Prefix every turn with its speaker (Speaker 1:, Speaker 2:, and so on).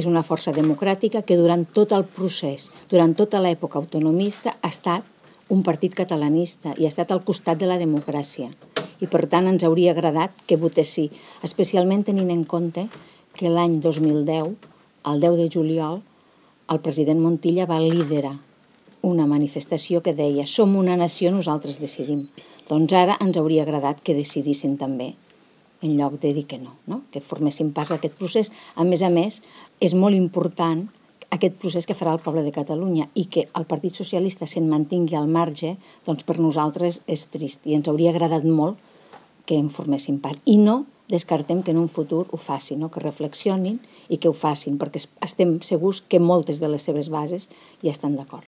Speaker 1: és una força democràtica que durant tot el procés, durant tota l'època autonomista, ha estat un partit catalanista i ha estat al costat de la democràcia. I per tant ens hauria agradat que votés sí, especialment tenint en compte que l'any 2010, el 10 de juliol, el president Montilla va liderar una manifestació que deia «Som una nació, nosaltres decidim». Doncs ara ens hauria agradat que decidissin també, en lloc de dir que no, que formessin part d'aquest procés. A més, és molt important aquest procés que farà el poble de Catalunya i que el Partit Socialista se'n mantingui al marge, doncs per nosaltres és trist i ens hauria agradat molt que en formessin part. I no descartem que en un futur ho facin, que reflexionin i que ho facin, perquè estem segurs que moltes de les seves bases ja estan d'acord.